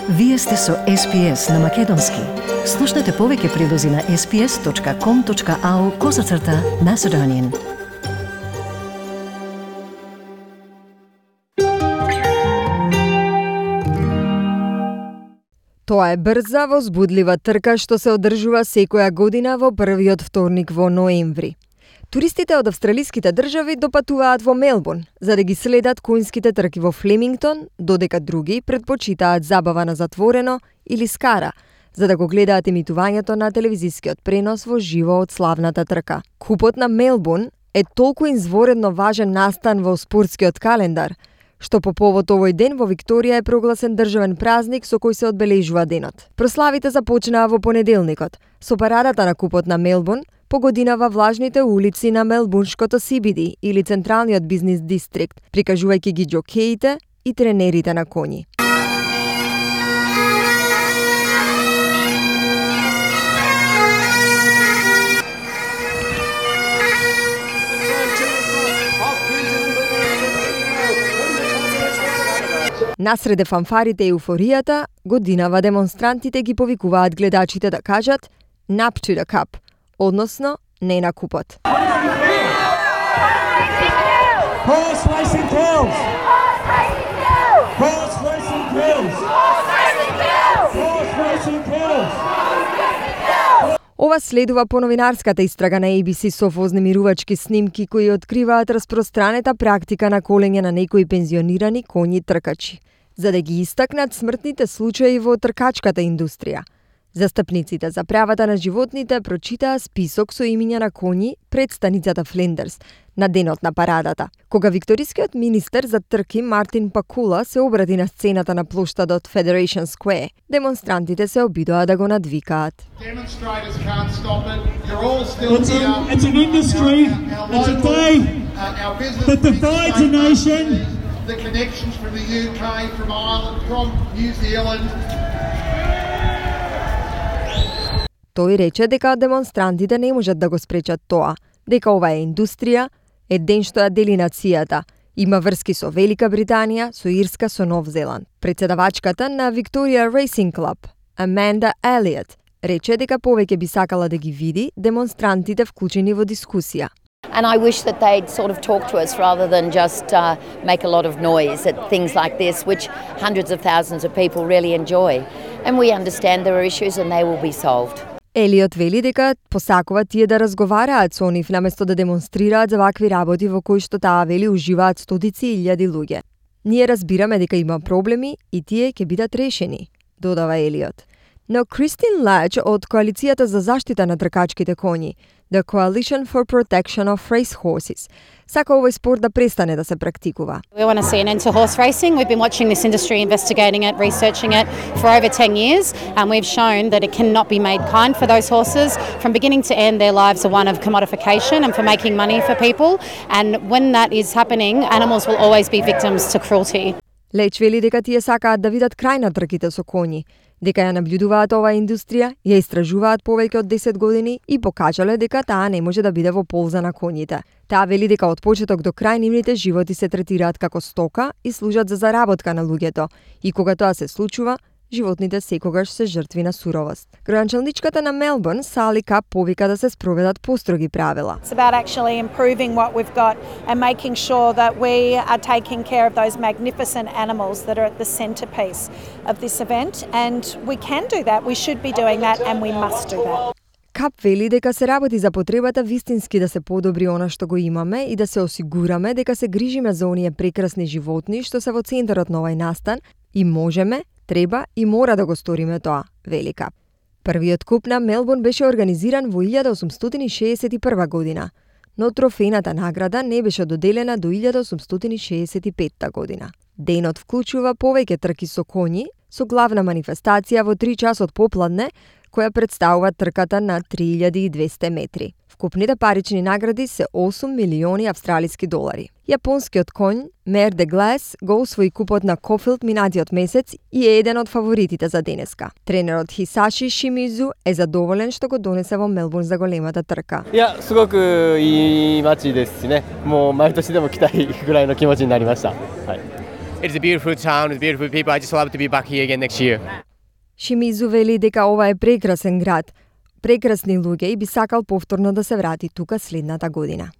Вие сте со SPS на Македонски. Слушнете повеќе прилози на sps.com.au/Macedonian. Тоа е брза, возбудлива трка што се одржува секоја година во првиот вторник во ноември. Туристите од австралиските држави допатуваат во Мелбурн за да ги следат конјските трки во Флемингтон, додека други предпочитаат забава на затворено или скара, за да го гледаат емитувањето на телевизискиот пренос во живо од славната трка. Купот на Мелбурн е толку изворедно важен настан во спортскиот календар, што по повод овој ден во Викторија е прогласен државен празник со кој се одбележува денот. Прославите започнаа во понеделникот со парадата на Купот на Мелбурн по година влажните улици на Мелбурнското CBD или Централниот бизнис дистрикт, прикажувајќи ги џокеите и тренерите на коњи. Насреде фанфарите и еуфоријата, годинава демонстрантите ги повикуваат гледачите да кажат "Nap to the Cup", односно не на купот. Horse racing kills! Horse racing kills! Horse racing kills! Ова следува по новинарската истрага на ABC со вознемирувачки снимки кои откриваат распространета практика на колење на некои пензионирани коњи тркачи, за да ги истакнат смртните случаи во тркачката индустрија. Застапниците за правата на животните прочитаа список со имиња на коњи пред станицата Флендерс на денот на парадата. Кога викторискиот министер за трки Мартин Пакула се обрати на сцената на плоштадот Federation Square, демонстрантите се обидоа да го надвикаат. It's an industry, it's a day that divides a nation. The connections from the UK, from Ireland, from New Zealand. Тој рече дека демонстрантите не можат да го спречат тоа, дека ова е индустрија, е ден што ја дели нацијата, има врски со Велика Британија, со Ирска, со Нов Зеланд. Председавачката на Victoria Racing Club, Amanda Elliott, рече дека повеќе би сакала да ги види демонстрантите вклучени во дискусија. And I wish that they'd sort of talk to us rather than just make a lot of noise at things like this, which hundreds of thousands of people really enjoy. And we understand there are issues and they will be solved. Елиот вели дека посакува тие да разговараат со нив наместо да демонстрираат за вакви работи во кои што таа вели уживаат стотици илјади луѓе. Ние разбираме дека има проблеми и тие ќе бидат решени, додава Елиот. Но Кристин Ладж од Коалицијата за заштита на тркачките коњи, The Coalition for Protection of Racehorses, сака овој спорт да престане да се практикува. We want to see an end to horse racing. We've been watching this industry, investigating it, researching it for over 10 years, and we've shown that it cannot be made kind for those horses. From beginning to end, their lives are one of commodification and for making money for people, and when that is happening, animals will always be victims to cruelty. Леч вели дека тие сакаат да видат крај на трките со коњи, дека ја наблюдуваат оваа индустрија, ја истражуваат повеќе од 10 години и покажале дека таа не може да биде во полза на коњите. Таа вели дека од почеток до крај нивните животи се третираат како стока и служат за заработка на луѓето, и кога тоа се случува, животните секогаш се жртви на суровост. Градоначалничката на Мелбурн, Сали Кап, повика да се спроведат построги правила. It's about actually improving what we've got and making sure that we are taking care of those magnificent animals that are at the centerpiece of this event, and we can do that, we should be doing that, and we must do that. Кап вели дека се работи за потребата вистински да се подобри она што го имаме и да се осигураме дека се грижиме за оние прекрасни животни што се во центарот на овој настан и можеме, треба и мора да го сториме тоа, вели Кап. Првиот куп на Мелбурн беше организиран во 1861 година, но трофејната награда не беше доделена до 1865 година. Денот вклучува повеќе трки со коњи, со главна манифестација во 3 часот попладне, која представува трката на 3200 метри. Вкупните парични награди се 8 милиони австралиски долари. Јапонскиот конј Мер де Глас го освои купот на Кофилд минатиот месец и е еден од фаворитите за денеска. Тренерот Хисаши Шимизу е задоволен што го донесе во Мелбурн за големата трка. いや、すごくいい街ですしね。もう毎年でも来たいぐらいの気持ちになりました。はい。It's a beautiful town, it's beautiful people. I just love to be back here again next year. Шимизу вели дека ова е прекрасен град, прекрасни луѓе и би сакал повторно да се врати тука следната година.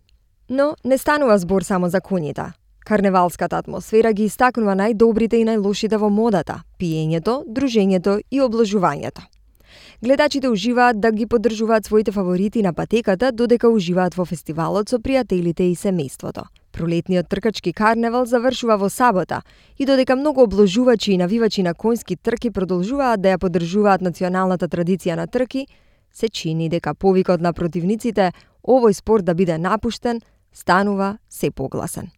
Но не станува збор само за конјите. Карневалската атмосфера ги истакнува најдобрите и најлошите во модата, пиењето, дружењето и облажувањето. Гледачите уживаат да ги поддржуваат своите фаворити на патеката, додека уживаат во фестивалот со пријателите и семејството. Пролетниот тркачки карневал завршува во сабота и додека многу обложувачи и навивачи на конски трки продолжуваат да ја поддржуваат националната традиција на трки, се чини дека повикот на противниците овој спорт да биде напуштен станува се погласен.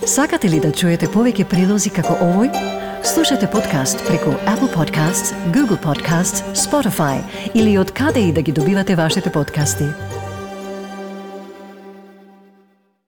Сакате ли да чуете повеќе прилози како овој? Слушате подкаст преку Apple Podcasts, Google Podcasts, Spotify или од каде и да ги добивате вашите подкасти.